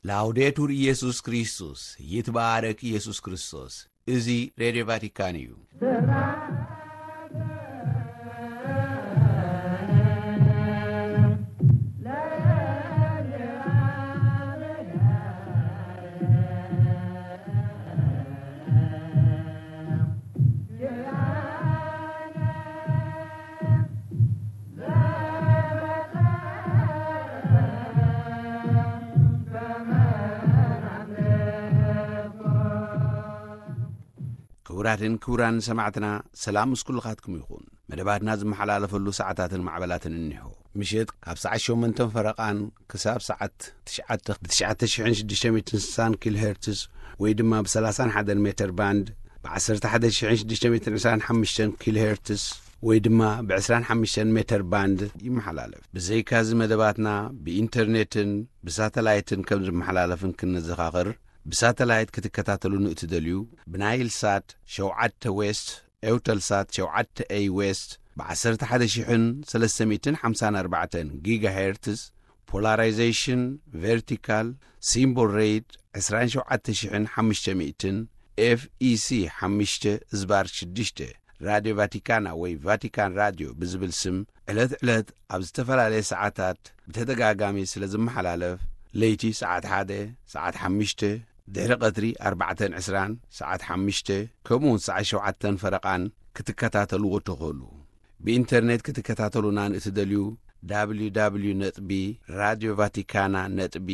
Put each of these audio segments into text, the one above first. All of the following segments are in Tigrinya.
ላውዴቱር ኢየሱስ ክርስቶስ፣ ይትባረክ ኢየሱስ ክርስቶስ። እዚ ሬድዮ ቫቲካን እዩ። ክቡራትን ክቡራን ሰማዕትና፣ ሰላም ምስ ኩልኻትኩም ይኹን። መደባትና ዝመሓላለፈሉ ሰዓታትን ማዕበላትን እኒሆ። ምሸት ካብ ሰዓት ሸሞንተን ፈረቓን ክሳብ ሰዓት ትሽዓተ ብ ትሽዓተ ሽሕን ሽዱሽተ ሚእትን ስሳን ኪሎ ሄርትዝ ወይ ድማ ብ ሰላሳን ሓደን ሜተር ባንድ፣ ብ ዓሰርተ ሓደ ሽሕን ሽዱሽተ ሚእትን ዕስራን ሓሙሽተን ኪሎ ሄርትዝ ወይ ድማ ብ ዕስራን ሓሙሽተን ሜተር ባንድ ይመሓላለፍ። ብዘይካዚ መደባትና ብኢንተርኔትን ብሳተላይትን ከም ዝመሓላለፍን ክንዘኻኽር፣ ብሳተላይት ክትከታተሉን እትደልዩ፣ ብናይል ሳት ሸውዓተ ዌስት፣ ኤውተል ሳት ሸውዓተ ኤይ ዌስት፣ ብ ዓሰርተ ሓደ ሽሕን ሰለስተ ሚእትን ሓምሳን ኣርባዕተን ጊጋ ሄርትዝ፣ ፖላራይዜሽን ቨርቲካል፣ ሲምቦል ሬት ዕስራን ሸውዓተ ሽሕን ሓሙሽተ ሚእትን፣ ኤፍ ኢ ሲ ሓሙሽተ ዝባር ሽዱሽተ፣ ራድዮ ቫቲካና ወይ ቫቲካን ራድዮ ብዝብል ስም ዕለት ዕለት ኣብ ዝተፈላለየ ሰዓታት ብተደጋጋሚ ስለ ዝመሓላለፍ፣ ለይቲ ሰዓት ሓደ፣ ሰዓት ሓሙሽተ፣ ድሕሪ ቀትሪ ኣርባዕተን ዕስራን፣ ሰዓት ሓሙሽተ፣ ከምኡውን ሰዓት ሸውዓተን ፈረቓን ክትከታተልዎ ትኽእሉ። ብኢንተርኔት ክትከታተሉና ንእትደልዩ፣ ደብሊው ደብሊው ደብሊው ነጥቢ ራድዮ ቫቲካና ነጥቢ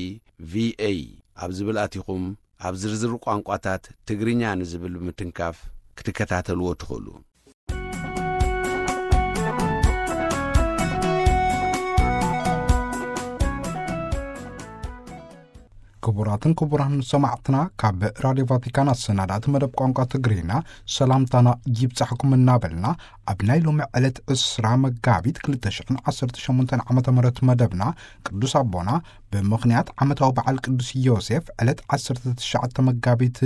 ቪ ኤ ኣብ ዝብል ኣቲኹም፣ ኣብ ዝርዝር ቋንቋታት ትግርኛ ንዝብል ብምትንካፍ ክትከታተልዎ ትኽእሉ። ክቡራትን ክቡራን ሰማዕትና፣ ካብ ራድዮ ቫቲካን ኣሰናዳእቲ መደብ ቋንቋ ትግርኛ ሰላምታና ይብጻሕኩም እናበልና፣ ኣብ ናይ ሎሚ ዕለት ዕስራ መጋቢት ክልተ ሽሕን ዓሰርተ ሸሞንተን ዓመተ ምህረት መደብና፣ ቅዱስ ኣቦና ብምኽንያት ዓመታዊ በዓል ቅዱስ ዮሴፍ ዕለት ዓሰርተ ትሽዓተ መጋቢት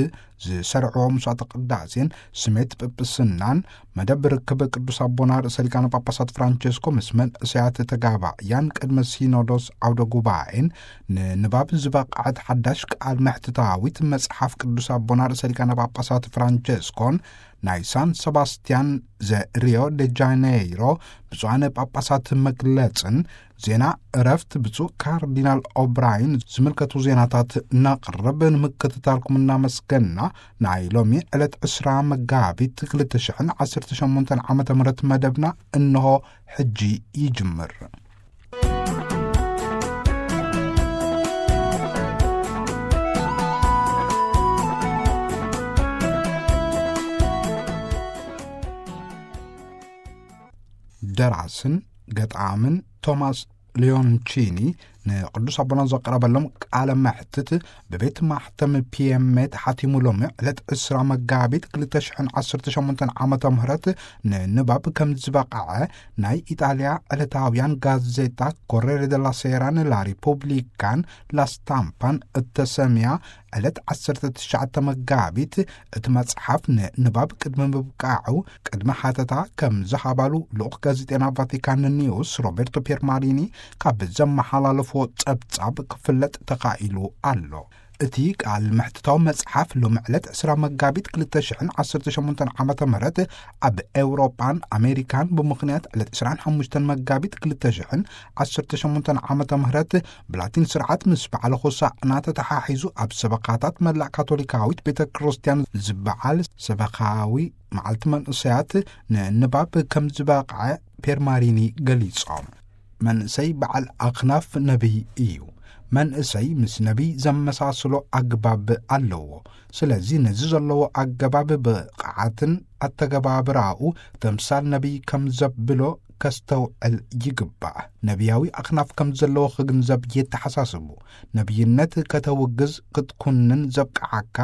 ዝሰርዕዎ መስዋዕተ ቅዳሴን ስሜት ጵጵስናን፣ መደብ ርክብ ቅዱስ ኣቦና ርእሰ ሊቃነ ጳጳሳት ፍራንቸስኮ ምስ መንእሰያት ተጋባእያን ቅድመ ሲኖዶስ ዓውደ ጉባኤን፣ ንንባብ ዝበቕዐት ሓዳሽ ቃል መሕትታዊት መጽሓፍ ቅዱስ ኣቦና ርእሰ ሊቃነ ጳጳሳት ፍራንቸስኮን ናይ ሳን ሰባስቲያን ዘ ሪዮ ደ ጃኔይሮ ብፁዓነ ጳጳሳት መግለጽን፣ ዜና እረፍት ብፁዕ ካርዲናል ኦብራይን ዝምልከቱ ዜናታት ነቕርብ። ንምክትታልኩም እናመስገንና፣ ናይ ሎሚ ዕለት ዕስራ መጋቢት ክልተ ሽሕን ዓሰርተ ሸሞንተን ዓመተ ምህረት መደብና እንሆ ሕጂ ይጅምር። ደራስን ገጣምን ቶማስ ሊዮንቺኒ ንቅዱስ ኣቦና ዘቕረበሎም ቃለ መሕትት ብቤት ማሕተም ፒ ኤም ኤ ተሓቲሙ ሎሚ ዕለት ዕስራ መጋቢት ክልተ ሽሕን ዓሰርተ ሸሞንተን ዓመተ ምህረት ንንባብ ከም ዝበቕዐ ናይ ኢጣልያ ዕለታውያን ጋዜጣ ኮሬሬ ደላ ሴራን ላ ሪፑብሊካን ላ ስታምፓን እተሰምያ ዕለት ዓሰርተ ትሽዓተ መጋቢት እቲ መጽሓፍ ንንባብ ቅድሚ ምብቃዑ ቅድመ ሓተታ ከም ዝሃባሉ ልኡኽ ጋዜጤና ቫቲካን ኒውስ ሮቤርቶ ፒየርማሪኒ ካብ ዘመሓላለፎ ጸብጻብ ክፍለጥ ተኻኢሉ ኣሎ። እቲ ቃል መሕትታዊ መጽሓፍ ሎሚ ዕለት ዕስራ መጋቢት ክልተ ሽሕን ዓሰርተ ሸሞንተን ዓመተ ምህረት ኣብ ኤውሮጳን ኣሜሪካን ብምኽንያት ዕለት ዕስራን ሓሙሽተን መጋቢት ክልተ ሽሕን ዓሰርተ ሸሞንተን ዓመተ ምህረት ብላቲን ስርዓት ምስ በዓለ ሆሳዕና ተተሓሒዙ ኣብ ሰበኻታት መላእ ካቶሊካዊት ቤተ ክርስቲያን ዝበዓል ሰበኻዊ መዓልቲ መንእሰያት ንንባብ ከም ዝበቕዐ ፔርማሪኒ ገሊጾም። መንእሰይ በዓል ኣኽናፍ ነቢይ እዩ። መንእሰይ ምስ ነቢይ ዘመሳስሎ ኣግባብ ኣለዎ። ስለዚ ነዚ ዘለዎ ኣገባብ ብቕዓትን ኣተገባብራኡ ተምሳል ነቢይ ከም ዘብሎ ከስተውዕል ይግባእ። ነቢያዊ ኣኽናፍ ከም ዘለዎ ክግንዘብ የተሓሳስቡ። ነቢይነት ከተውግዝ ክትኩንን ዘብቅዓካ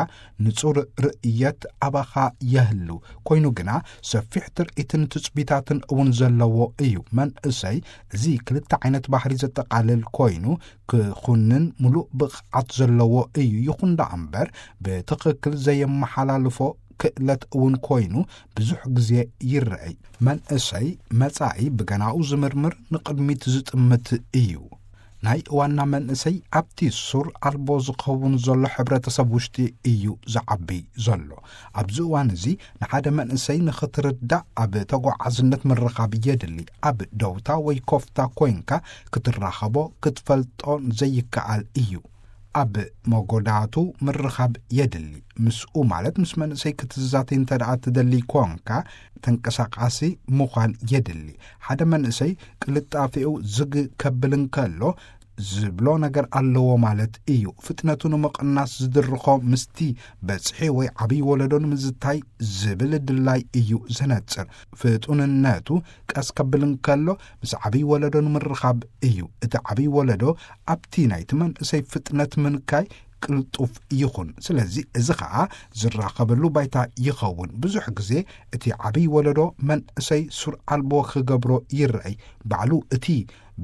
ንጹር ርእየት ኣባኻ የህሉ። ኮይኑ ግና ሰፊሕ ትርኢትን ትጽቢታትን እውን ዘለዎ እዩ። መንእሰይ እዚ ክልተ ዓይነት ባህሪ ዘጠቓልል ኮይኑ ክኹንን ምሉእ ብቕዓት ዘለዎ እዩ። ይኹን ደኣ እምበር ብትኽክል ዘየመሓላልፎ ክእለት እውን ኮይኑ ብዙሕ ግዜ ይረኣይ። መንእሰይ መጻኢ ብገናኡ ዝምርምር ንቕድሚት ዝጥምት እዩ። ናይ ዋና መንእሰይ ኣብቲ ሱር ኣልቦ ዝኸውን ዘሎ ሕብረተሰብ ውሽጢ እዩ ዝዓቢ ዘሎ። ኣብዚ እዋን እዚ ንሓደ መንእሰይ ንኽትርዳእ ኣብ ተጓዓዝነት ምርኻብ የድሊ። ኣብ ደውታ ወይ ኮፍታ ኮይንካ ክትራኸቦ ክትፈልጦ ዘይከኣል እዩ። ኣብ መጎዳቱ ምርኻብ የድሊ። ምስኡ ማለት ምስ መንእሰይ ክትዛተይ እንተ ደኣ ትደሊ ኮንካ ተንቀሳቃሲ ምዃን የድሊ። ሓደ መንእሰይ ቅልጣፌኡ ዝግ ከብል እንከሎ ዝብሎ ነገር ኣለዎ ማለት እዩ። ፍጥነቱ ንምቕናስ ዝድርኾ ምስቲ በጽሒ ወይ ዓብዪ ወለዶ ንምዝታይ ዝብል ድላይ እዩ ዘነጽር። ፍጡንነቱ ቀስ ከብል እንከሎ ምስ ዓብዪ ወለዶ ንምርኻብ እዩ። እቲ ዓብዪ ወለዶ ኣብቲ ናይቲ መንእሰይ ፍጥነት ምንካይ ቅልጡፍ ይኹን። ስለዚ እዚ ኸኣ ዝራኸበሉ ባይታ ይኸውን። ብዙሕ ግዜ እቲ ዓብዪ ወለዶ መንእሰይ ሱር ኣልቦ ክገብሮ ይረኣይ። ባዕሉ እቲ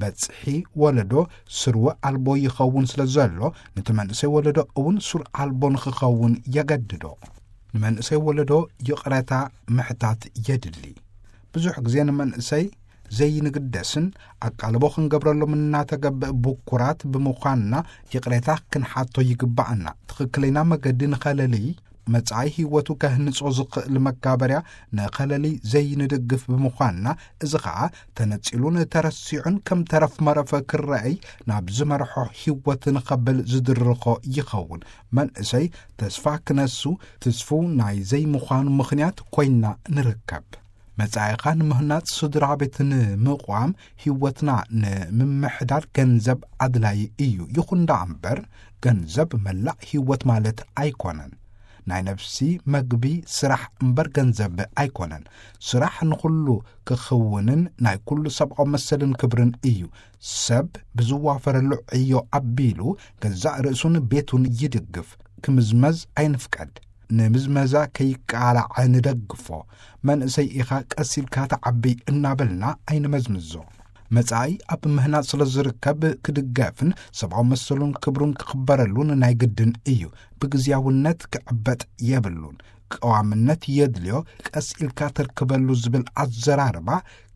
በጽሒ ወለዶ ስርወ ኣልቦ ይኸውን ስለ ዘሎ፣ ነቲ መንእሰይ ወለዶ እውን ሱር ኣልቦ ንኽኸውን የገድዶ። ንመንእሰይ ወለዶ ይቕረታ ምሕታት የድሊ። ብዙሕ ግዜ ንመንእሰይ ዘይንግደስን ኣቃልቦ ክንገብረሎም እናተገብእ ብኩራት ብምዃንና ይቕሬታ ክንሓቶ ይግባኣና። ትኽክለኛ መገዲ ንኸለሊ መጻኢ ህይወቱ ከህንጾ ዝኽእል መጋበርያ ንኸለሊ ዘይንድግፍ ብምዃንና፣ እዚ ኸኣ ተነጺሉን ተረሲዑን ከም ተረፍ መረፈ ክረኣይ ናብ ዝመርሖ ህይወት ንኸብል ዝድርኾ ይኸውን። መንእሰይ ተስፋ ክነሱ ትስፉው ናይ ዘይምዃኑ ምኽንያት ኮይንና ንርከብ። መጻኢኻ ንምህናጽ ስድራ ቤት ንምቕዋም ህይወትና ንምምሕዳር ገንዘብ ኣድላዪ እዩ። ይኹን ደኣ እምበር ገንዘብ መላእ ህይወት ማለት ኣይኮነን። ናይ ነፍሲ መግቢ ስራሕ እምበር ገንዘብ ኣይኮነን። ስራሕ ንኹሉ ክኽውንን ናይ ኩሉ ሰብኣዊ መሰልን ክብርን እዩ። ሰብ ብዝዋፈረሉ ዕዮ ኣቢሉ ገዛእ ርእሱን ቤቱን ይድግፍ። ክምዝመዝ ኣይንፍቀድ። ንምዝመዛ ከይቃላዕ ንደግፎ። መንእሰይ ኢኻ ቀስ ኢልካ ተዓቢ እናበልና ኣይንመዝምዞ። መጻኢ ኣብ ምህናጽ ስለ ዝርከብ ክድገፍን ሰብኣዊ መሰሉን ክብሩን ክኽበረሉን ናይ ግድን እዩ። ብግዝያውነት ክዕበጥ የብሉን። ቀዋምነት የድልዮ፣ ቀስ ኢልካ ተርክበሉ ዝብል ኣዘራርባ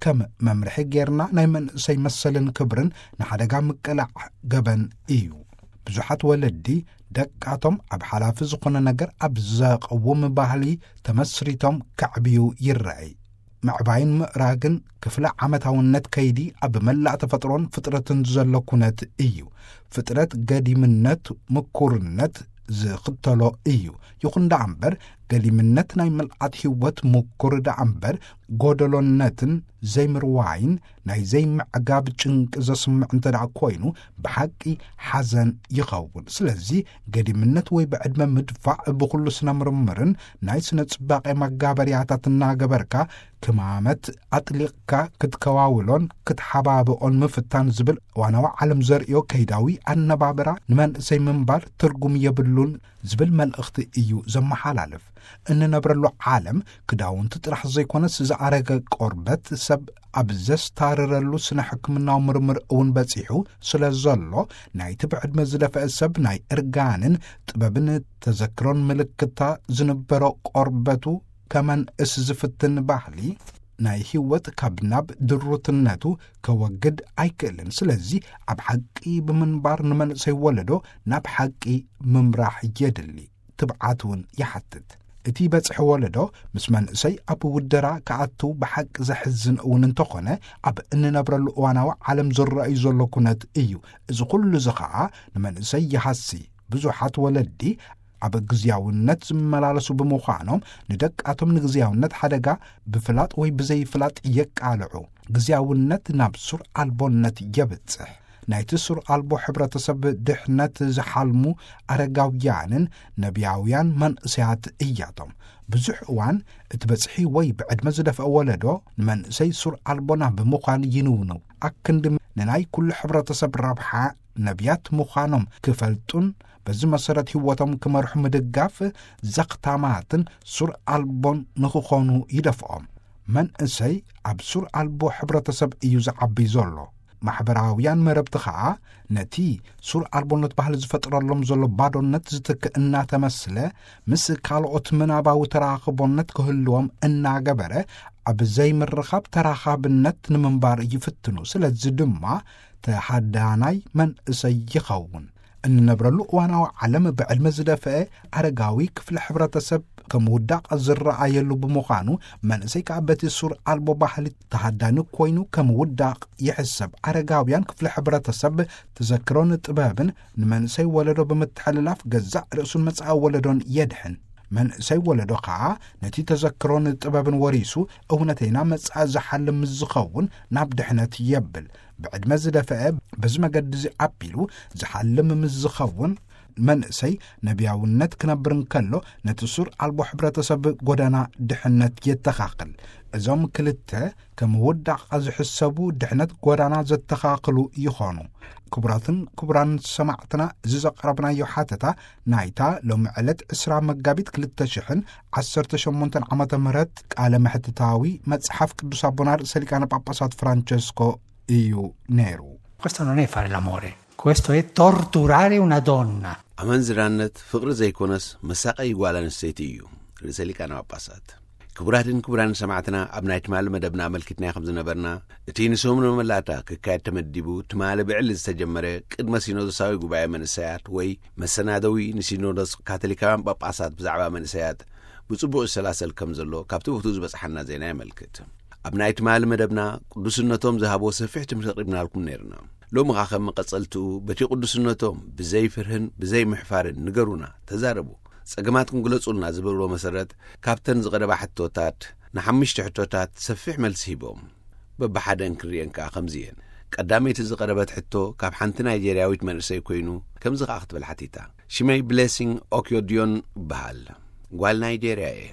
ከም መምርሒ ጌርና ናይ መንእሰይ መሰልን ክብርን ንሓደጋ ምቅላዕ ገበን እዩ። ብዙሓት ወለዲ ደቃቶም ኣብ ሓላፊ ዝኾነ ነገር ኣብ ዘቐውም ባህሊ ተመስሪቶም ከዕብዩ ይረኣይ። ምዕባይን ምእራግን ክፍለ ዓመታውነት ከይዲ ኣብ መላእ ተፈጥሮን ፍጥረትን ዘሎ ኩነት እዩ። ፍጥረት ገዲምነት፣ ምኩርነት ዝኽተሎ እዩ። ይኹን ደኣ እምበር፣ ገዲምነት ናይ ምልኣት ህይወት ምኩር ደኣ እምበር፣ ጎደሎነትን ዘይምርዋይን ናይ ዘይምዕጋብ ጭንቂ ዘስምዕ እንተ ደኣ ኮይኑ፣ ብሓቂ ሓዘን ይኸውን። ስለዚ፣ ገዲምነት ወይ ብዕድመ ምድፋዕ ብኹሉ ስነ ምርምርን ናይ ስነ ጽባቄ መጋበርያታት እናገበርካ ክማመት ኣጥሊቕካ ክትከዋውሎን ክትሓባብኦን ምፍታን ዝብል ዋናዊ ዓለም ዘርእዮ ከይዳዊ ኣነባብራ ንመንእሰይ ምንባር ትርጉም የብሉን ዝብል መልእኽቲ እዩ ዘመሓላልፍ። እንነብረሉ ዓለም ክዳውንቲ ጥራሕ ዘይኮነስ ዝኣረገ ቆርበት ሰብ ኣብ ዘስታርረሉ ስነ ሕክምናዊ ምርምር እውን በጺሑ ስለ ዘሎ፣ ናይቲ ብዕድመ ዝደፍአ ሰብ ናይ እርጋንን ጥበብን ተዘክሮን ምልክታ ዝንበሮ ቆርበቱ ከመንእስ ዝፍትን ባህሊ፣ ናይ ህይወት ካብ ናብ ድሩትነቱ ከወግድ ኣይክእልን። ስለዚ ኣብ ሓቂ ብምንባር ንመንእሰይ ወለዶ ናብ ሓቂ ምምራሕ የድሊ። ትብዓት እውን ይሓትት። እቲ በጽሒ ወለዶ ምስ መንእሰይ ኣብ ውደራ ክኣቱ ብሓቂ ዘሕዝን እውን እንተኾነ፣ ኣብ እንነብረሉ እዋናዊ ዓለም ዝረኣዩ ዘሎ ኩነት እዩ። እዚ ኩሉ እዚ ኸኣ ንመንእሰይ ይሃሲ። ብዙሓት ወለዲ ኣብ ግዝያውነት ዝመላለሱ ብምዃኖም፣ ንደቃቶም ንግዝያውነት ሓደጋ ብፍላጥ ወይ ብዘይፍላጥ የቃልዑ። ግዝያውነት ናብ ሱር ኣልቦነት የብጽሕ። ናይቲ ሱር ኣልቦ ሕብረተሰብ ድሕነት ዝሓልሙ ኣረጋውያንን ነብያውያን መንእሰያት እያቶም። ብዙሕ እዋን እቲ በጽሒ ወይ ብዕድመ ዝደፍአ ወለዶ ንመንእሰይ ሱር ኣልቦ ናብ ምዃን ይንውንው። ኣክንዲ ንናይ ኩሉ ሕብረተሰብ ረብሓ ነብያት ምዃኖም ክፈልጡን በዚ መሰረት ህይወቶም ክመርሑ ምድጋፍ ዘኽታማትን ሱር ኣልቦን ንኽኾኑ ይደፍኦም። መንእሰይ ኣብ ሱር ኣልቦ ሕብረተሰብ እዩ ዝዓቢ ዘሎ። ማሕበራውያን መረብቲ ኸኣ ነቲ ሱር ኣልቦነት ባህሊ ዝፈጥረሎም ዘሎ ባዶነት ዝትክእ እናተመስለ፣ ምስ ካልኦት ምናባዊ ተራኽቦነት ክህልዎም እናገበረ፣ ኣብ ዘይምርኻብ ተራኻብነት ንምንባር ይፍትኑ። ስለዚ ድማ ተሃዳናይ መንእሰይ ይኸውን። እንነብረሉ እዋናዊ ዓለም ብዕድመ ዝደፍአ ኣረጋዊ ክፍሊ ሕብረተሰብ ከም ውዳቕ ዝረኣየሉ ብምዃኑ፣ መንእሰይ ከኣ በቲ ሱር ኣልቦ ባህሊ ተሃዳኒ ኮይኑ ከም ውዳቕ ይሕሰብ። ኣረጋውያን ክፍሊ ሕብረተሰብ ተዘክሮን ጥበብን ንመንእሰይ ወለዶ ብምትሕልላፍ ገዛእ ርእሱን መጻኢ ወለዶን የድሕን። መንእሰይ ወለዶ ከኣ ነቲ ተዘክሮን ጥበብን ወሪሱ እውነተይና መጻኢ ዝሓልም ምስ ዝኸውን ናብ ድሕነት የብል። ብዕድመ ዝደፍአ በዚ መገዲ እዚ ኣቢሉ ዝሓልም ምስ ዝኸውን መንእሰይ ነቢያውነት ክነብር እንከሎ ነቲ ሱር ኣልቦ ሕብረተሰብ ጎዳና ድሕነት የተኻኽል። እዞም ክልተ ከም ውዳቕ ዝሕሰቡ ድሕነት ጎዳና ዘተኻኽሉ ይኾኑ። ክቡራትን ክቡራን ሰማዕትና፣ እዚ ዘቕረብናዮ ሓተታ ናይታ ሎሚ ዕለት ዕስራ መጋቢት ክልተ ሽሕን ዓሰርተ ሸሞንተን ዓመተ ምህረት ቃለ መሕትታዊ መጽሓፍ ቅዱስ ኣቦና ርእሰ ሊቃነ ጳጳሳት ፍራንቸስኮ እዩ ነይሩ። Questo non è fare l'amore, questo è torturare una donna. ኣመንዝራነት ፍቕሪ ዘይኮነስ መሳቀይ ጓል ኣንስተይቲ እዩ። ርእሰ ሊቃነ ጳጳሳት። ክቡራትን ክቡራን ሰማዕትና፣ ኣብ ናይ ትማሊ መደብና ኣመልኪትና ከም ዝነበርና፣ እቲ ንሶም ንመላእታ ክካየድ ተመዲቡ ትማሊ ብዕሊ ዝተጀመረ ቅድመ ሲኖዶሳዊ ጉባኤ መንእሰያት ወይ መሰናደዊ ንሲኖዶስ ካቶሊካውያን ጳጳሳት ብዛዕባ መንእሰያት ብጽቡቕ ይሰላሰል ከም ዘሎ ካብቲ ቦትኡ ዝበጽሓና ዜና የመልክት። ኣብ ናይ ትማሊ መደብና ቅዱስነቶም ዝሃቦ ሰፊሕ ትምህርቲ ኣቕሪብናልኩም ነይርና። ሎሚ ኸኣ ከም መቐጸልትኡ በቲ ቅዱስነቶም ብዘይ ፍርህን ብዘይ ምሕፋርን ንገሩና፣ ተዛረቡ፣ ጸገማትኩም ግለጹልና ዝበልዎ መሰረት ካብተን ዝቐረባ ሕቶታት ንሓሙሽተ ሕቶታት ሰፊሕ መልሲ ሂቦም። በብሓደን ክንሪአን ከኣ ከምዚ እየን። ቀዳመይቲ ዝቐረበት ሕቶ ካብ ሓንቲ ናይጄርያዊት መንእሰይ ኮይኑ ከምዚ ከኣ ክትብል ሓቲታ። ሽመይ ብሌሲንግ ኦኪዮዲዮን እበሃል። ጓል ናይጄርያ እየ።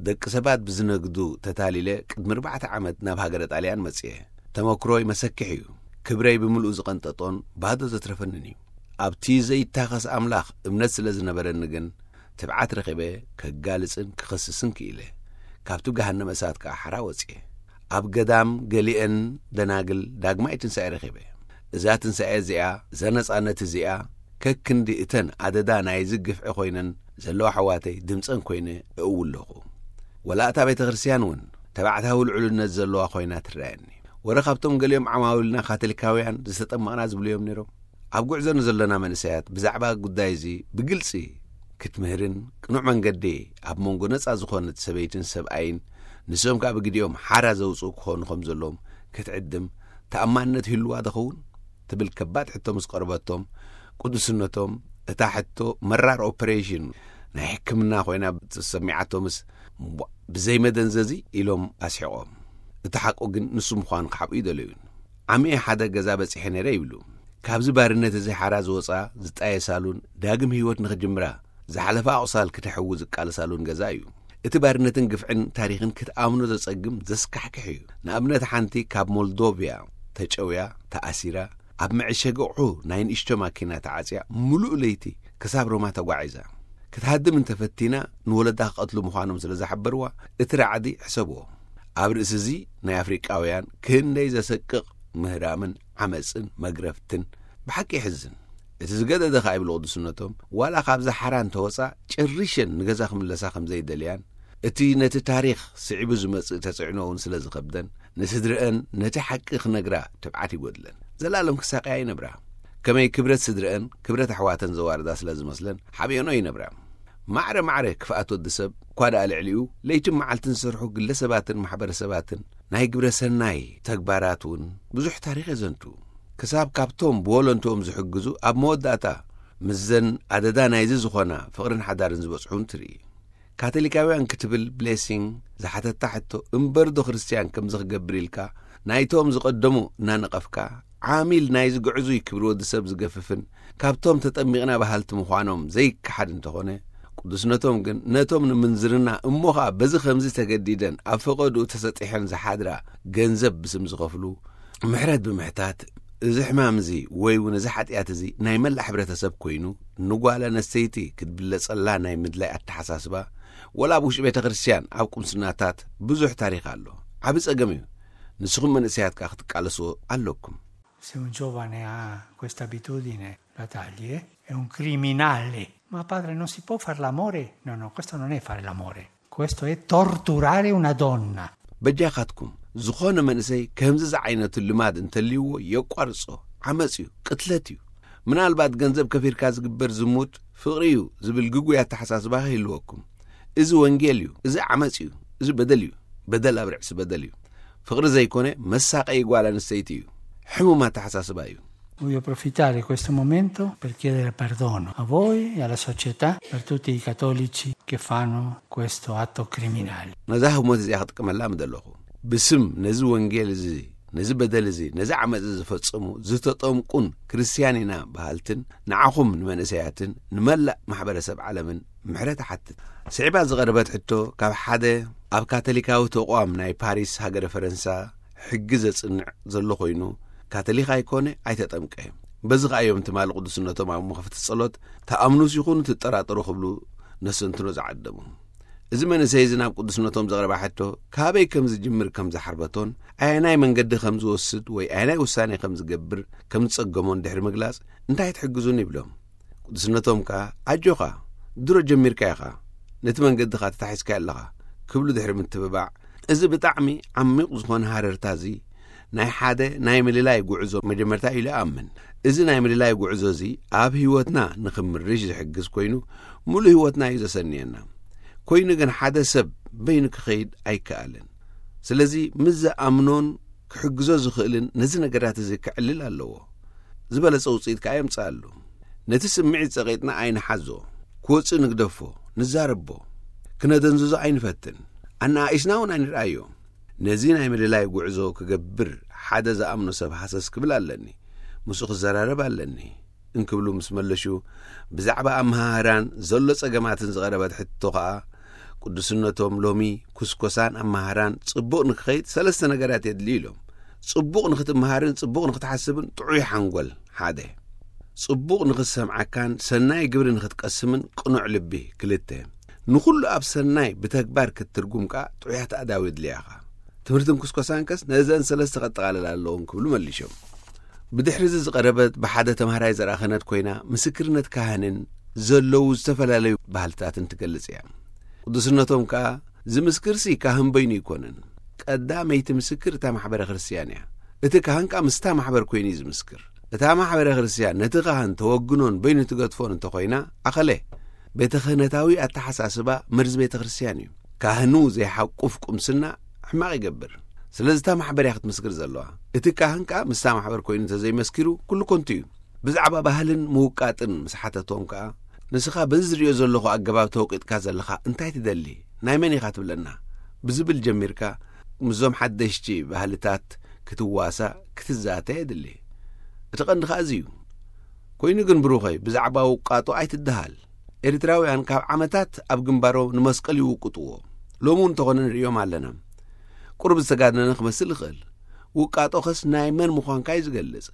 ደቂ ሰባት ብዝነግዱ ተታሊለ ቅድሚ ኣርባዕተ ዓመት ናብ ሃገረ ጣልያን መጽየ። ተመክሮይ መሰክሕ እዩ። ክብረይ ብምልኡ ዝቐንጠጦን ባዶ ዘትረፈንን እዩ። ኣብቲ ዘይታኸስ ኣምላኽ እምነት ስለ ዝነበረኒ ግን ትብዓት ረኺበ ከጋልጽን ክኸስስን ክኢለ። ካብቲ ገሃነመ እሳት ከኣ ሓራ ወጽየ። ኣብ ገዳም ገሊአን ደናግል ዳግማይ ትንሳኤ ረኺበ። እዛ ትንሳኤ እዚኣ፣ እዛ ነጻነት እዚኣ ከክንዲ እተን ኣደዳ ናይዚ ግፍዒ ኮይነን ዘለዋ ኣሕዋተይ ድምጸን ኮይነ እእውለኹ። ወላ እታ ቤተ ክርስቲያን እውን ተባዕታዊ ልዑልነት ዘለዋ ኮይና ትረኣየኒ። ወረ ካብቶም ገሊኦም ዓማዊልና ካቶሊካውያን ዝተጠመቕና ዝብሉ እዮም ነይሮም። ኣብ ጉዕዞ ንዘሎና መንእሰያት ብዛዕባ ጉዳይ እዚ ብግልጺ ክትምህርን ቅኑዕ መንገዲ ኣብ መንጎ ነጻ ዝኾነት ሰበይትን ሰብኣይን ንሶም ከኣ ብግዲኦም ሓራ ዘውጽኡ ክኾኑ ከም ዘለዎም ክትዕድም ተኣማንነት ይህልዋ ዶ ኸውን ትብል ከባድ ሕቶ ምስ ቀረበቶም ቅዱስነቶም እታ ሕቶ መራር ኦፐሬሽን ናይ ሕክምና ኮይና ተሰሚዓቶምስ ብዘይመደንዘዚ ኢሎም ኣስሒቖም። እቲ ሓቁ ግን ንሱ ምዃኑ ክሓብኡ ይደለዩን። ዓሚኤ ሓደ ገዛ በጺሐ ነይረ ይብሉ። ካብዚ ባርነት እዚ ሓራ ዝወጻ ዝጣየሳሉን ዳግም ህይወት ንኽጅምራ ዝሓለፋ ኣቑሳል ክተሕዊ ዝቃለሳሉን ገዛ እዩ። እቲ ባርነትን ግፍዕን ታሪኽን ክትኣምኖ ዘጸግም ዘስካሕክሕ እዩ። ንኣብነት ሓንቲ ካብ ሞልዶቪያ ተጨውያ ተኣሲራ ኣብ መዕሸጊ ኣቑሑ ናይ ንእሽቶ ማኪና ተዓጽያ ምሉእ ለይቲ ክሳብ ሮማ ተጓዒዛ ክትሃድም እንተፈቲና ንወለዳ ክቐትሉ ምዃኖም ስለ ዝሓበርዋ እቲ ራዕዲ ሕሰብዎ። ኣብ ርእሲ እዚ ናይ ኣፍሪቃውያን ክንደይ ዘሰቅቕ ምህራምን ዓመፅን መግረፍትን ብሓቂ ይሕዝን። እቲ ዝገደደ ከኣ ይብሉ ቅዱስነቶም ዋላ ካብዛ ሓራ እንተወፃ ጨሪሸን ንገዛ ክምለሳ ከም ዘይደልያን እቲ ነቲ ታሪኽ ስዒቡ ዝመጽእ ተጽዕኖ እውን ስለ ዝኸብደን ንስድረአን ነቲ ሓቂ ክነግራ ትብዓት ይጎድለን። ዘላለም ክሳቀያ ይነብራ። ከመይ ክብረት ስድረአን ክብረት ኣሕዋተን ዘዋርዳ ስለ ዝመስለን ሓቢኦኖ ይነብራ። ማዕረ ማዕረ ክፍኣት ወዲ ሰብ እኳ ደኣ ልዕሊኡ ለይትን መዓልትን ዝሰርሑ ግለሰባትን ማሕበረሰባትን ናይ ግብረ ሰናይ ተግባራት እውን ብዙሕ ታሪኽ የዘንቱ። ክሳብ ካብቶም ብወለንትኦም ዝሕግዙ ኣብ መወዳእታ ምስዘን ኣደዳ ናይዚ ዝኾና ፍቕርን ሓዳርን ዝበጽሑን ትርኢ። ካቶሊካውያን ክትብል ብሌሲንግ ዝሓተታ ሕቶ እምበርዶ ክርስትያን ከምዚ ክገብር ኢልካ ናይቶም ዝቐደሙ እናነቐፍካ ዓሚል ናይዚ ግዕዙይ ክብሪ ወዲ ሰብ ዝገፍፍን ካብቶም ተጠሚቕና በሃልቲ ምዃኖም ዘይከሓድ እንተኾነ ቅዱስነቶም ግን ነቶም ንምንዝርና እሞ ኸኣ በዚ ከምዚ ተገዲደን ኣብ ፈቐድኡ ተሰጢሐን ዝሓድራ ገንዘብ ብስም ዝኸፍሉ ምሕረት ብምሕታት እዚ ሕማም እዚ ወይ እውን እዚ ሓጢኣት እዚ ናይ መላእ ሕብረተሰብ ኮይኑ ንጓል ኣነስተይቲ ክትብለጸላ ናይ ምድላይ ኣተሓሳስባ ወላ ኣብ ውሽጢ ቤተ ክርስትያን ኣብ ቁምስናታት ብዙሕ ታሪኽ ኣሎ። ዓቢ ጸገም እዩ። ንስኹም መንእሰያት ከኣ ክትቃለስዎ ኣለኩም። Se un giovane ha questa abitudine, la taglie, è un criminale. Ma padre, non si può fare l'amore? No, no, questo non è fare l'amore. Questo è torturare una donna. በጃኻትኩም፣ ዝኾነ መንእሰይ ከምዚ ዝዓይነቱ ልማድ እንተልይዎ የቋርጾ። ዓመጽ እዩ፣ ቅትለት እዩ። ምናልባት ገንዘብ ከፊርካ ዝግበር ዝሙት ፍቕሪ እዩ ዝብል ግጉይ ኣተሓሳስባ ከይህልወኩም። እዚ ወንጌል እዩ፣ እዚ ዓመጽ እዩ፣ እዚ በደል እዩ። በደል ኣብ ርእሲ በደል እዩ። ፍቕሪ ዘይኮነ መሳቀይ ጓል ኣንስተይቲ እዩ። ሕሙም ኣተሓሳስባ እዩ። Voglio approfittare di questo momento per chiedere perdono a voi e alla società per tutti i cattolici che fanno questo atto criminale. ነዛ ህሞት እዚኣ ክጥቀመላ ምደለኹ። ብስም ነዚ ወንጌል እዚ፣ ነዚ በደል እዚ፣ ነዚ ዓመፅ እዚ ዝፈጸሙ ዝተጠምቁን ክርስትያን ኢና በሃልትን ንዓኹም ንመንእሰያትን ንመላእ ማሕበረሰብ ዓለምን ምሕረት እሓትት። ስዒባ ዝቐረበት ሕቶ ካብ ሓደ ኣብ ካቶሊካዊ ተቋም ናይ ፓሪስ ሃገረ ፈረንሳ ሕጊ ዘጽንዕ ዘሎ ኮይኑ፣ ካቶሊክ ኣይኮነ፣ ኣይተጠምቀ። በዚ ከኣ እዮም ትማሊ ቅዱስነቶም ኣብ መኽፈቲ ጸሎት፣ "ትኣምኑስ ይኹኑ ትጠራጠሩ?" ክብሉ ነሰንትኖ ዝዓደሙ። እዚ መንእሰይ እዚ ናብ ቅዱስነቶም ዘቕረባ ሕቶ፣ ካበይ ከም ዝጅምር ከም ዝሓርበቶን ኣየናይ መንገዲ ከም ዝወስድ ወይ ኣየናይ ውሳኔ ከም ዝገብር ከም ዝጸገሞን ድሕሪ ምግላጽ፣ "እንታይ ትሕግዙኒ?" ይብሎም። ቅዱስነቶም ከኣ፣ "ኣጆኻ፣ ድሮ ጀሚርካ ኢኻ፣ ነቲ መንገድኻ ተታሒዝካዮ ኣለኻ" ክብሉ ድሕሪ ምትብባዕ፣ እዚ ብጣዕሚ ዓሚቕ ዝኾነ ሃረርታ እዚ ናይ ሓደ ናይ ምልላይ ጉዕዞ መጀመርታ ኢሉ እኣምን። እዚ ናይ ምልላይ ጉዕዞ እዚ ኣብ ህይወትና ንኽምርሽ ዝሕግዝ ኮይኑ፣ ሙሉእ ህይወትና እዩ ዘሰንየና። ኮይኑ ግን ሓደ ሰብ በይኑ ክኸይድ ኣይከኣልን። ስለዚ ምስ ዝኣምኖን ክሕግዞ ዝኽእልን ነዚ ነገራት እዚ ክዕልል ኣለዎ። ዝበለጸ ውጽኢት ከኣ የምጽኣሉ። ነቲ ስምዒት ጸቒጥና ኣይንሓዞ፣ ክወጽእ ንግደፎ፣ ንዛረቦ፣ ክነደንዝዞ ኣይንፈትን። ኣነኣኢስና እውን ኣይንርኣዮ። ነዚ ናይ ምልላይ ጉዕዞ ክገብር ሓደ ዝኣምኖ ሰብ ሃሰስ ክብል ኣለኒ። ምስኡ ክዘራረብ ኣለኒ እንክብሉ ምስ መለሹ፣ ብዛዕባ ኣመሃህራን ዘሎ ጸገማትን ዝቐረበት ሕቶ ኸኣ፣ ቅዱስነቶም ሎሚ ኩስኮሳን ኣመሃህራን ጽቡቕ ንክኸይድ ሰለስተ ነገራት የድልዩ ኢሎም። ጽቡቕ ንክትመሃርን ጽቡቕ ንክትሓስብን ጥዑይ ሓንጎል ሓደ። ጽቡቕ ንክትሰምዓካን ሰናይ ግብሪ ንክትቀስምን ቅኑዕ ልቢ ክልተ። ንኹሉ ኣብ ሰናይ ብተግባር ክትትርጉም ከኣ ጥዑያት ኣእዳው የድልያኻ። ትምህርትን ኩስኮሳን ከስ ነዘን ሰለስተ ከጠቓልላ ኣለዎም ክብሉ መሊሾም። ብድሕሪ እዚ ዝቐረበት ብሓደ ተምሃራይ ዘርኣ ክህነት ኮይና፣ ምስክርነት ካህንን ዘለዉ ዝተፈላለዩ ባህልታትን ትገልጽ እያ። ቅዱስነቶም ከኣ፣ "ዝምስክርሲ ካህን በይኑ ኣይኮነን። ቀዳመይቲ ምስክር እታ ማሕበረ ክርስትያን እያ። እቲ ካህን ከኣ ምስታ ማሕበር ኮይኑ እዩ ዝምስክር። እታ ማሕበረ ክርስትያን ነቲ ካህን ተወግኖን በይኑ ትገድፎን እንተኾይና፣ ኣኸለ፣ ቤተ ክህነታዊ ኣተሓሳስባ መርዚ ቤተ ክርስትያን እዩ። ካህኑ ዘይሓቁፍ ቁምስና ሕማቕ ይገብር። ስለዚ እታ ማሕበር እያ ክትምስክር ዘለዋ። እቲ ካህን ከኣ ምስታ ማሕበር ኮይኑ እንተዘይመስኪሩ፣ ኩሉ ከንቱ እዩ." ብዛዕባ ባህልን ምውቃጥን ምስ ሓተቶም ከኣ፣ "ንስኻ በዚ ዝርእዮ ዘለኹ ኣገባብ ተወቂጥካ ዘለኻ እንታይ ትደሊ? ናይ መን ኢኻ ትብለና?" ብዝብል ጀሚርካ፣ ምስዞም ሓደሽቲ ባህልታት ክትዋሳእ፣ ክትዛተ የድሊ። እቲ ቀንዲ ከኣ እዚ እዩ። ኮይኑ ግን ብሩኸይ፣ ብዛዕባ ውቃጦ ኣይትደሃል። ኤርትራውያን ካብ ዓመታት ኣብ ግንባሮም ንመስቀል ይውቅጥዎ። ሎሚ እውን እንተኾነ ንርእዮም ኣለና። ቁሩብ ዝተጋነነ ክመስል ይኽእል። ውቃጦኸስ ናይ መን ምዃንካ እዩ ዝገልጽ።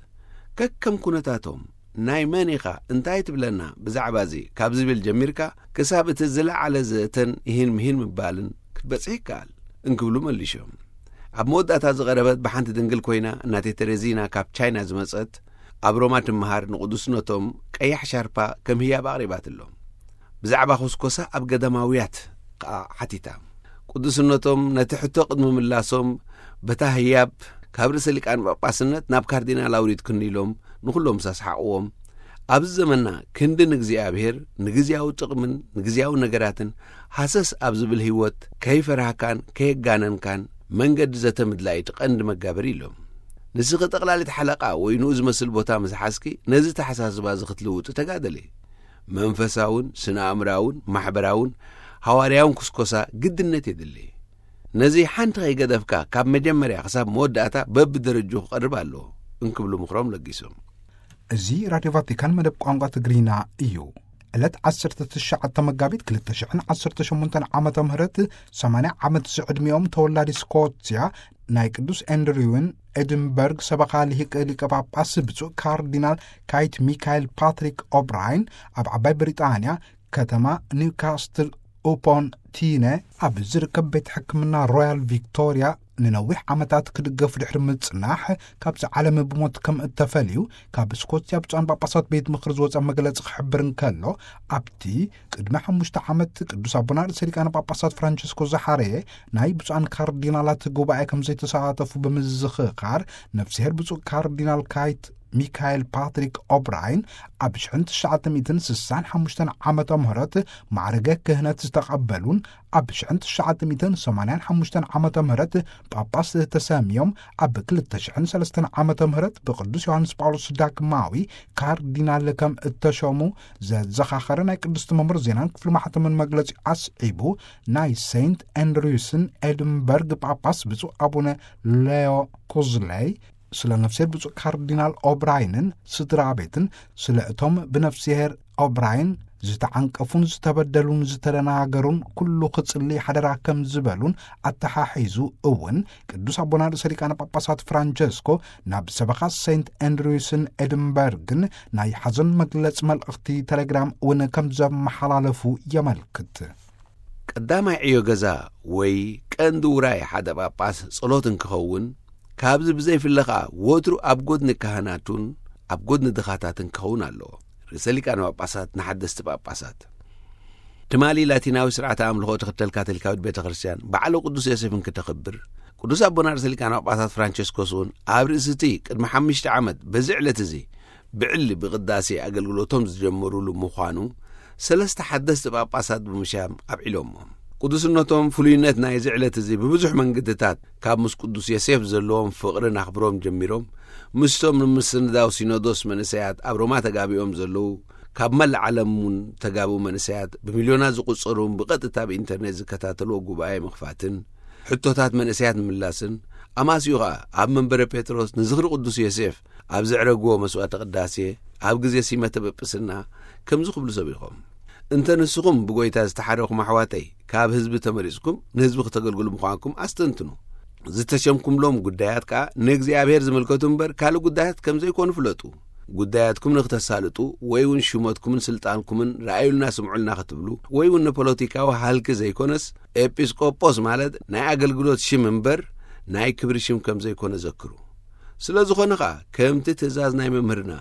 ከከም ኩነታቶም፣ "ናይ መን ኢኻ? እንታይ ትብለና ብዛዕባ እዚ?" ካብ ዝብል ጀሚርካ፣ ክሳብ እቲ ዝለዓለ ዘተን ይሂን ምሂን ምባልን ክትበጽሕ ይከኣል እንክብሉ መሊሾም። ኣብ መወዳእታ ዝቐረበት ብሓንቲ ድንግል ኮይና፣ እናቴ ተሬዚና ካብ ቻይና ዝመጸት፣ ኣብ ሮማ ትመሃር፣ ንቅዱስነቶም ቀያሕ ሻርፓ ከም ህያብ ኣቕሪባትሎም። ብዛዕባ ኩስኮሳ ኣብ ገዳማውያት ከኣ ሓቲታ። ቅዱስነቶም ነቲ ሕቶ ቅድሚ ምላሶም፣ በታ ህያብ ካብ ርእሰ ሊቃነ ጳጳስነት ናብ ካርዲናል ኣውሪድክኒ ኢሎም ንኹሎም ምስ ኣስሓቕዎም፣ ኣብዚ ዘመንና ክንዲ ንእግዚኣብሔር፣ ንግዝያዊ ጥቕምን ንግዝያዊ ነገራትን ሃሰስ ኣብ ዝብል ህይወት ከይፈራህካን ከየጋነንካን መንገዲ ዘተ ምድላይ እቲ ቀንዲ መጋበሪ ኢሎም። ንስኺ ጠቕላሊት ሓለቓ ወይ ንኡ ዝመስል ቦታ ምስ ሓዝኪ፣ ነዚ ተሓሳስባ እዚ ክትልውጢ ተጋደሊ። መንፈሳውን ስነ-ኣእምራውን ማሕበራውን ሃዋርያውን ኩስኮሳ ግድነት የድሊ። ነዚ ሓንቲ ከይገደፍካ ካብ መጀመርያ ክሳብ መወዳእታ በብደረጅኡ ክቐርብ ኣለዎ እንክብሉ ምኽሮም ለጊሶም። እዚ ራድዮ ቫቲካን መደብ ቋንቋ ትግርኛ እዩ። ዕለት ዓሰርተ ትሽዓተ መጋቢት ክልተ ሽሕን ዓሰርተ ሸሞንተን ዓመተ ምህረት ሰማንያ ዓመት ዝዕድሚኦም ተወላዲ ስኮትያ ናይ ቅዱስ ኤንድሪውን ኤድንበርግ ሰበኻ ልሂቅ ሊቀ ጳጳስ ብፁዕ ካርዲናል ካይት ሚካኤል ፓትሪክ ኦብራይን ኣብ ዓባይ ብሪጣንያ ከተማ ኒውካስትል ኡፖን ቲነ ኣብ ዝርከብ ቤት ሕክምና ሮያል ቪክቶሪያ ንነዊሕ ዓመታት ክድገፍ ድሕሪ ምጽናሕ፣ ካብዚ ዓለም ብሞት ከም እተፈልዩ ካብ ስኮትያ ብፁዓን ጳጳሳት ቤት ምኽሪ ዝወጸ መግለጺ ክሕብር እንከሎ፣ ኣብቲ ቅድሚ ሓሙሽተ ዓመት ቅዱስ ኣቦና ርእሰ ሊቃነ ጳጳሳት ፍራንቸስኮ ዝሓረየ ናይ ብፁዓን ካርዲናላት ጉባኤ ከም ዘይተሳተፉ ብምዝኽኻር፣ ነፍስሄር ብፁዕ ካርዲናል ካይት ሚካኤል ፓትሪክ ኦብራይን ኣብ ሽሕን ትሽዓተ ሚእትን ስሳን ሓሙሽተን ዓመተ ምህረት ማዕረገ ክህነት ዝተቐበሉን፣ ኣብ ሽሕን ትሽዓተ ሚእትን ሰማንያን ሓሙሽተን ዓመተ ምህረት ጳጳስ ተሰምዮም፣ ኣብ ክልተ ሽሕን ሰለስተን ዓመተ ምህረት ብቅዱስ ዮሃንስ ጳውሎስ ዳግማዊ ካርዲናል ከም እተሾሙ ዘዘኻኸረ ናይ ቅድስቲ መምህር ዜናን ክፍሊ ማሕተምን መግለጺ ኣስዒቡ፣ ናይ ሴንት ኣንድሪውስን ኤድንበርግ ጳጳስ ብፁዕ ኣቡነ ሌዮ ኩዝለይ፣ ስለ ነፍስሄር ብፁዕ ካርዲናል ኦብራይንን ስድራ ቤትን፣ ስለ እቶም ብነፍስሄር ኦብራይን ዝተዓንቀፉን ዝተበደሉን ዝተደናገሩን ኩሉ ክጽሊ ሓደራ ከም ዝበሉን ኣተሓሒዙ እውን፣ ቅዱስ ኣቦና ርእሰ ሊቃነ ጳጳሳት ፍራንቸስኮ ናብ ሰበኻ ሴንት ኣንድሪውስን ኤድንበርግን ናይ ሓዘን መግለጺ መልእኽቲ ቴሌግራም እውን ከም ዘመሓላለፉ የመልክት። ቀዳማይ ዕዮ ገዛ ወይ ቀንዲ ውራይ ሓደ ጳጳስ ጸሎት እንክኸውን፣ ካብዚ ብዘይፍለ ኸኣ ወትሩ ኣብ ጎድኒ ካህናቱን ኣብ ጎድኒ ድኻታትን ክኸውን ኣለዎ። ርእሰ ሊቃነ ጳጳሳት ንሓደስቲ ጳጳሳት። ትማሊ ላቲናዊ ስርዓተ ኣምልኾ ትኽተል ካቶሊካዊት ቤተ ክርስቲያን በዓለ ቅዱስ ዮሴፍ እንክተኽብር፣ ቅዱስ ኣቦና ርእሰ ሊቃነ ጳጳሳት ፍራንቸስኮስ እውን ኣብ ርእሲ እቲ ቅድሚ ሓሙሽተ ዓመት በዚ ዕለት እዚ ብዕሊ ብቅዳሴ ኣገልግሎቶም ዝጀመሩሉ ምዃኑ ሰለስተ ሓደስቲ ጳጳሳት ብምሻም ኣብዒሎሞ። ቅዱስነቶም ፍሉይነት ናይዚ ዕለት እዚ ብብዙሕ መንገድታት ካብ ምስ ቅዱስ ዮሴፍ ዘለዎም ፍቕርን ኣኽብሮም ጀሚሮም፣ ምስቶም ንምስንዳው ሲኖዶስ መንእሰያት ኣብ ሮማ ተጋቢኦም ዘለዉ፣ ካብ መላእ ዓለም እውን ተጋብኡ መንእሰያት ብሚልዮናት ዝቑጸሩን ብቐጥታ ብኢንተርኔት ዝከታተልዎ ጉባኤ ምኽፋትን፣ ሕቶታት መንእሰያት ምምላስን፣ ኣማስዩ ኸኣ ኣብ መንበረ ጴጥሮስ ንዝኽሪ ቅዱስ ዮሴፍ ኣብ ዘዕረግዎ መስዋዕተ ቅዳሴ፣ ኣብ ግዜ ሲመተ ጵጵስና ከምዚ ክብሉ ሰቢኾም። እንተ ንስኹም ብጎይታ ዝተሓረኹም ኣሕዋተይ፣ ካብ ህዝቢ ተመሪጽኩም ንህዝቢ ክተገልግሉ ምዃንኩም ኣስተንትኑ። ዝተሸምኩምሎም ጉዳያት ከኣ ንእግዚኣብሔር ዝምልከቱ እምበር ካልእ ጉዳያት ከም ዘይኮኑ ፍለጡ። ጉዳያትኩም ንክተሳልጡ ወይ እውን ሹመትኩምን ስልጣንኩምን ረኣዩልና ስምዑልና ክትብሉ ወይ እውን ንፖለቲካዊ ሃልኪ ዘይኮነስ ኤጲስቆጶስ ማለት ናይ ኣገልግሎት ሽም እምበር ናይ ክብሪ ሽም ከም ዘይኮነ ዘክሩ። ስለ ዝኾነ ኸኣ ከምቲ ትእዛዝ ናይ መምህርና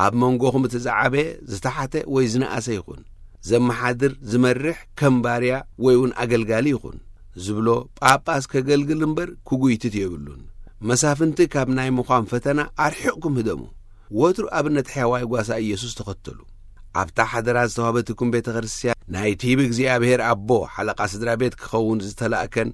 ኣብ መንጎኹም እቲ ዝዓበየ ዝተሓተ ወይ ዝነኣሰ ይኹን፣ ዘመሓድር ዝመርሕ ከም ባርያ ወይ እውን ኣገልጋሊ ይኹን ዝብሎ ጳጳስ ከገልግል እምበር ክጉይትት የብሉን። መሳፍንቲ ካብ ናይ ምዃን ፈተና ኣርሒቕኩም ህደሙ። ወትሩ ኣብነት ሕያዋይ ጓሳ ኢየሱስ ተኸተሉ። ኣብታ ሓደራ ዝተዋህበትኩም ቤተ ክርስቲያን ናይቲ ብእግዚኣብሔር ኣቦ ሓለቓ ስድራ ቤት ክኸውን ዝተላእከን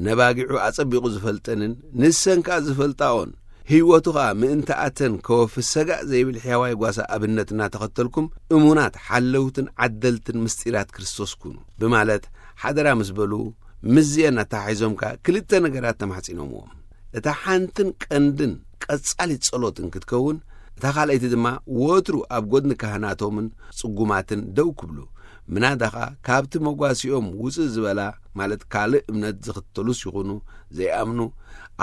ነባጊዑ ኣጸቢቑ ዝፈልጠንን ንሰን ከኣ ዝፈልጣኦን ህይወቱ ኸኣ ምእንታኣተን ከወፊ ሰጋእ ዘይብል ሕያዋይ ጓሳ ኣብነት እናተኸተልኩም እሙናት ሓለውትን ዓደልትን ምስጢራት ክርስቶስ ኩኑ ብማለት ሓደራ ምስ በሉ ምስዚአን ኣተሓሒዞም ከኣ ክልተ ነገራት ተማሕጺኖምዎም። እታ ሓንትን ቀንድን ቀጻሊት ጸሎት እንክትከውን፣ እታ ካልኣይቲ ድማ ወትሩ ኣብ ጎድኒ ካህናቶምን ጽጉማትን ደው ክብሉ፣ ምናዳ ኸኣ ካብቲ መጓሲኦም ውጽእ ዝበላ፣ ማለት ካልእ እምነት ዝኽተሉስ ይኹኑ ዘይኣምኑ፣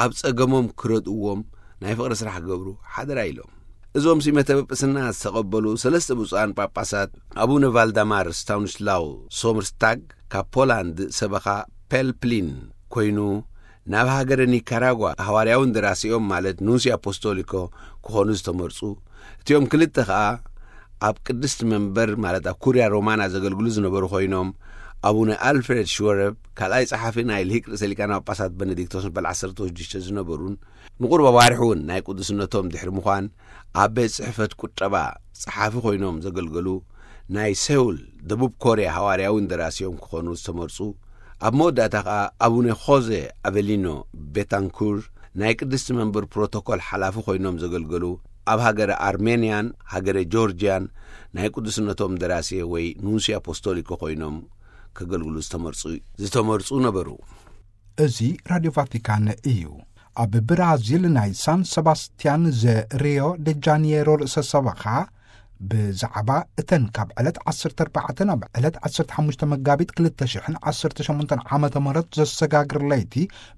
ኣብ ጸገሞም ክረድእዎም ናይ ፍቕሪ ስራሕ ክገብሩ ሓደራ ኢሎም። እዞም ሲመተ ጵጵስና ዝተቐበሉ ሰለስተ ብፁዓን ጳጳሳት፣ ኣቡነ ቫልዳማር ስታውንስላው ሶምርስታግ ካብ ፖላንድ ሰበኻ ፔልፕሊን ኮይኑ፣ ናብ ሃገረ ኒካራጓ ሃዋርያዊ እንደራሲኦም ማለት ኑንሲ ኣፖስቶሊኮ ክኾኑ ዝተመርጹ፣ እቲኦም ክልተ ኸኣ ኣብ ቅድስቲ መንበር ማለት ኣብ ኩርያ ሮማና ዘገልግሉ ዝነበሩ ኮይኖም፣ ኣቡነ ኣልፍሬድ ሽወረብ ካልኣይ ጸሓፊ ናይ ልሂቅ ርእሰ ሊቃነ ጳጳሳት በነዲክቶስ በል ዓሰርተ ሽዱሽተ ዝነበሩን ንቁሩብ ኣዋርሕ እውን ናይ ቅዱስነቶም ድሕሪ ምዃን ኣብ ቤት ጽሕፈት ቁጠባ ጸሓፊ ኮይኖም ዘገልገሉ፣ ናይ ሴውል ደቡብ ኮርያ ሃዋርያዊ እንደራሲኦም ክኾኑ ዝተመርጹ፣ ኣብ መወዳእታ ኸኣ ኣቡነ ኾዜ ኣቨሊኖ ቤታንኩር ናይ ቅድስቲ መንበር ፕሮቶኮል ሓላፊ ኮይኖም ዘገልገሉ፣ ኣብ ሃገረ ኣርሜንያን ሃገረ ጆርጅያን ናይ ቅዱስነቶም እንደራሴ ወይ ኑንሲ ኣፖስቶሊኮ ኮይኖም ከገልግሉ ዝተመርጹ፣ ዝተመርጹ ነበሩ። እዚ ራድዮ ቫቲካን እዩ። ኣብ ብራዚል ናይ ሳን ሰባስቲያን ዘ ሪዮ ደ ጃኒየሮ ርእሰ ሰበኻ ብዛዕባ እተን ካብ ዕለት ዓሰርተ ኣርባዕተ ናብ ዕለት ዓሰርተ ሓሙሽተ መጋቢት ክልተ ሽሕን ዓሰርተ ሸሞንተን ዓመተ ምህረት ዘሰጋግር ለይቲ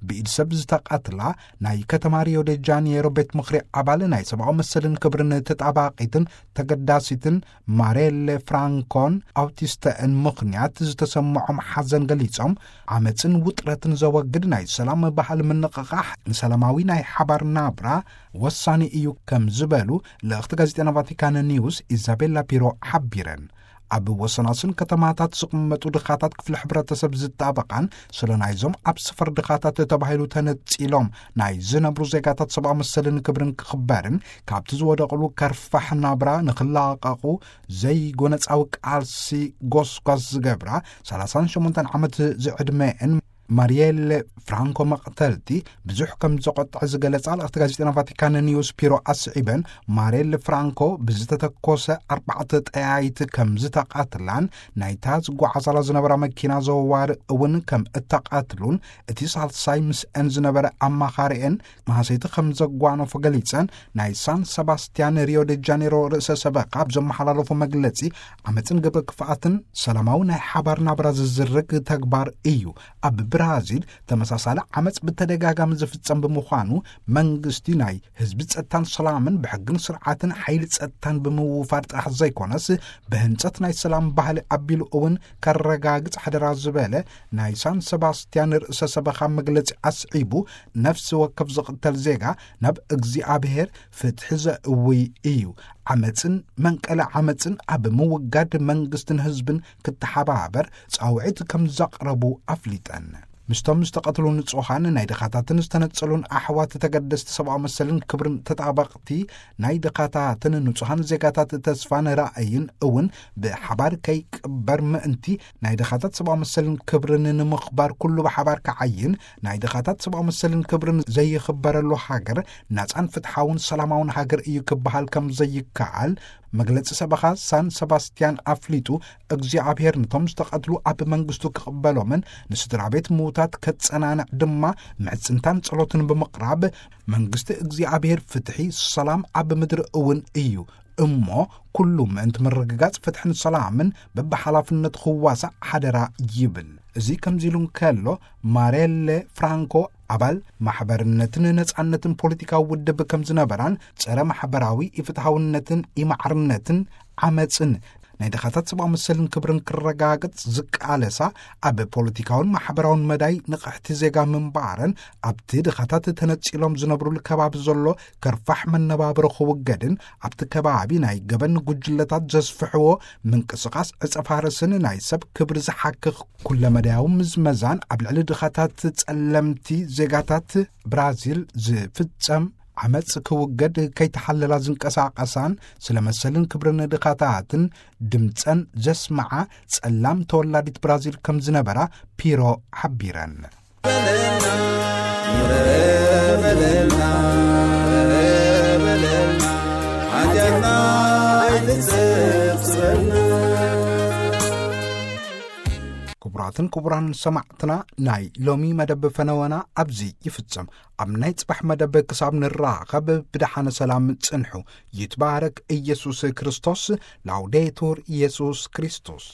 ብኢድ ሰብ ዝተቐትላ ናይ ከተማ ሪዮ ደ ጃኔሮ ቤት ምኽሪ ኣባል ናይ ሰብኣዊ መሰልን ክብርን ተጣባቒትን ተገዳሲትን ማሬሌ ፍራንኮን ኣውቲስተእን ምኽንያት ዝተሰምዖም ሓዘን ገሊጾም፣ ዓመጽን ውጥረትን ዘወግድ ናይ ሰላም ባህሊ ምንቕቓሕ ንሰላማዊ ናይ ሓባር ናብራ ወሳኒ እዩ ከም ዝበሉ ልእኽቲ ጋዜጠና ቫቲካን ኒውስ ኢዛቤላ ፒሮ ሓቢረን። ኣብ ወሰናስን ከተማታት ዝቕመጡ ድኻታት ክፍሊ ሕብረተሰብ ዝጣበቓን ስለ ናይዞም ኣብ ሰፈር ድኻታት ተባሂሉ ተነጺሎም ናይ ዝነብሩ ዜጋታት ሰብኣዊ መሰልን ክብርን ክኽበርን ካብቲ ዝወደቕሉ ከርፋሕ ናብራ ንኽላቐቑ ዘይጎነጻዊ ቃልሲ ጎስጓስ ዝገብራ ሰላሳን ሸሞንተን ዓመት ዝዕድመአን ማሪየለ ፍራንኮ መቕተልቲ ብዙሕ ከም ዘቖጥዐ ዝገለጻ ልእኽቲ ጋዜጠና ቫቲካን ኒውስ ፒሮ ኣስዒበን፣ ማሬል ፍራንኮ ብዝተተኮሰ ኣርባዕተ ጠያይት ከም ዝተቐትላን ናይታ ዝጓዓዛላ ዝነበራ መኪና ዘዋሪ እውን ከም እተቐትሉን እቲ ሳልሳይ ምስአን ዝነበረ ኣማኻሪአን መሃሰይቲ ከም ዘጓነፎ ገሊጸን፣ ናይ ሳን ሰባስቲያን ሪዮ ደ ጃኔሮ ርእሰ ሰበኻ ኣብ ዘመሓላለፎ መግለጺ ዓመፅን ግብረ ክፍኣትን ሰላማዊ ናይ ሓባር ናብራ ዝዝርግ ተግባር እዩ። ኣብ ብራዚል ተመሳሳሊ ዓመፅ ብተደጋጋሚ ዝፍጸም ብምዃኑ መንግስቲ ናይ ህዝቢ ጸጥታን ሰላምን ብሕግን ስርዓትን ሓይሊ ጸጥታን ብምውፋር ጥራሕ ዘይኮነስ ብህንጸት ናይ ሰላም ባህሊ ኣቢሉ እውን ከረጋግጽ ሓደራ ዝበለ ናይ ሳን ሰባስቲያን ርእሰ ሰበኻ መግለጺ ኣስዒቡ፣ ነፍሲ ወከፍ ዝቕተል ዜጋ ናብ እግዚኣብሔር ፍትሒ ዘእውይ እዩ። ዓመፅን መንቀለ ዓመፅን ኣብ ምውጋድ መንግስትን ህዝብን ክተሓባበር ጻውዒት ከም ዘቕረቡ ኣፍሊጠን። ምስቶም ዝተቐትሉ ንጹሃን ናይ ድኻታትን ዝተነጸሉን ኣሕዋት ተገደስቲ ሰብኣዊ መሰልን ክብርን ተጣበቕቲ ናይ ድኻታትን ንጹሃን ዜጋታት ተስፋን ራእይን እውን ብሓባር ከይቅበር ምእንቲ ናይ ድኻታት ሰብኣዊ መሰልን ክብርን ንምኽባር ኩሉ ብሓባር ክዓይን፣ ናይ ድኻታት ሰብኣዊ መሰልን ክብርን ዘይኽበረሉ ሃገር ናጻን ፍትሓውን ሰላማውን ሃገር እዩ ክበሃል ከም ዘይከኣል መግለጺ ሰበኻ ሳን ሰባስቲያን ኣፍሊጡ፣ እግዚኣብሔር ነቶም ዝተቐትሉ ኣብ መንግስቱ ክቕበሎምን ንስድራ ቤት ምዉታት ከጸናንዕ ድማ ምሕጽንታን ጸሎትን ብምቕራብ፣ መንግስቲ እግዚኣብሔር ፍትሒ፣ ሰላም ኣብ ምድሪ እውን እዩ እሞ ኩሉ ምእንቲ ምርግጋጽ ፍትሕን ሰላምን በብሓላፍነቱ ክዋሳእ ሓደራ ይብል። እዚ ከምዚ ኢሉ እንከሎ፣ ማሬሌ ፍራንኮ ኣባል ማሕበርነትን ነጻነትን ፖለቲካዊ ውድብ ከም ዝነበራን፣ ጸረ ማሕበራዊ ኢፍትሃውነትን ኢማዕርነትን ዓመጽን ናይ ድኻታት ሰብኣዊ መሰልን ክብርን ክረጋግጽ ዝቃለሳ፣ ኣብ ፖለቲካውን ማሕበራውን መዳይ ንቕሕቲ ዜጋ ምንባረን፣ ኣብቲ ድኻታት ተነጺሎም ዝነብሩሉ ከባቢ ዘሎ ከርፋሕ መነባብሮ ክውገድን፣ ኣብቲ ከባቢ ናይ ገበን ጉጅለታት ዘስፍሕዎ ምንቅስቓስ ዕጸ ፋርስን ናይ ሰብ ክብሪ ዝሓክኽ ኩለመዳያዊ ምዝመዛን ኣብ ልዕሊ ድኻታት ጸለምቲ ዜጋታት ብራዚል ዝፍጸም ዓመጽ ክውገድ ከይተሓለላ ዝንቀሳቐሳን ስለ መሰልን ክብርን ድኻታትን ድምጸን ዘስምዓ ጸላም ተወላዲት ብራዚል ከም ዝነበራ ፒሮ ሓቢረን። ክቡራትን ክቡራን ሰማዕትና፣ ናይ ሎሚ መደብ ፈነወና ኣብዚ ይፍጸም። ኣብ ናይ ጽባሕ መደብ ክሳብ ንራኸብ ብደሓነ ሰላም ጽንሑ። ይትባረክ ኢየሱስ ክርስቶስ። ላውዴቱር ኢየሱስ ክርስቶስ።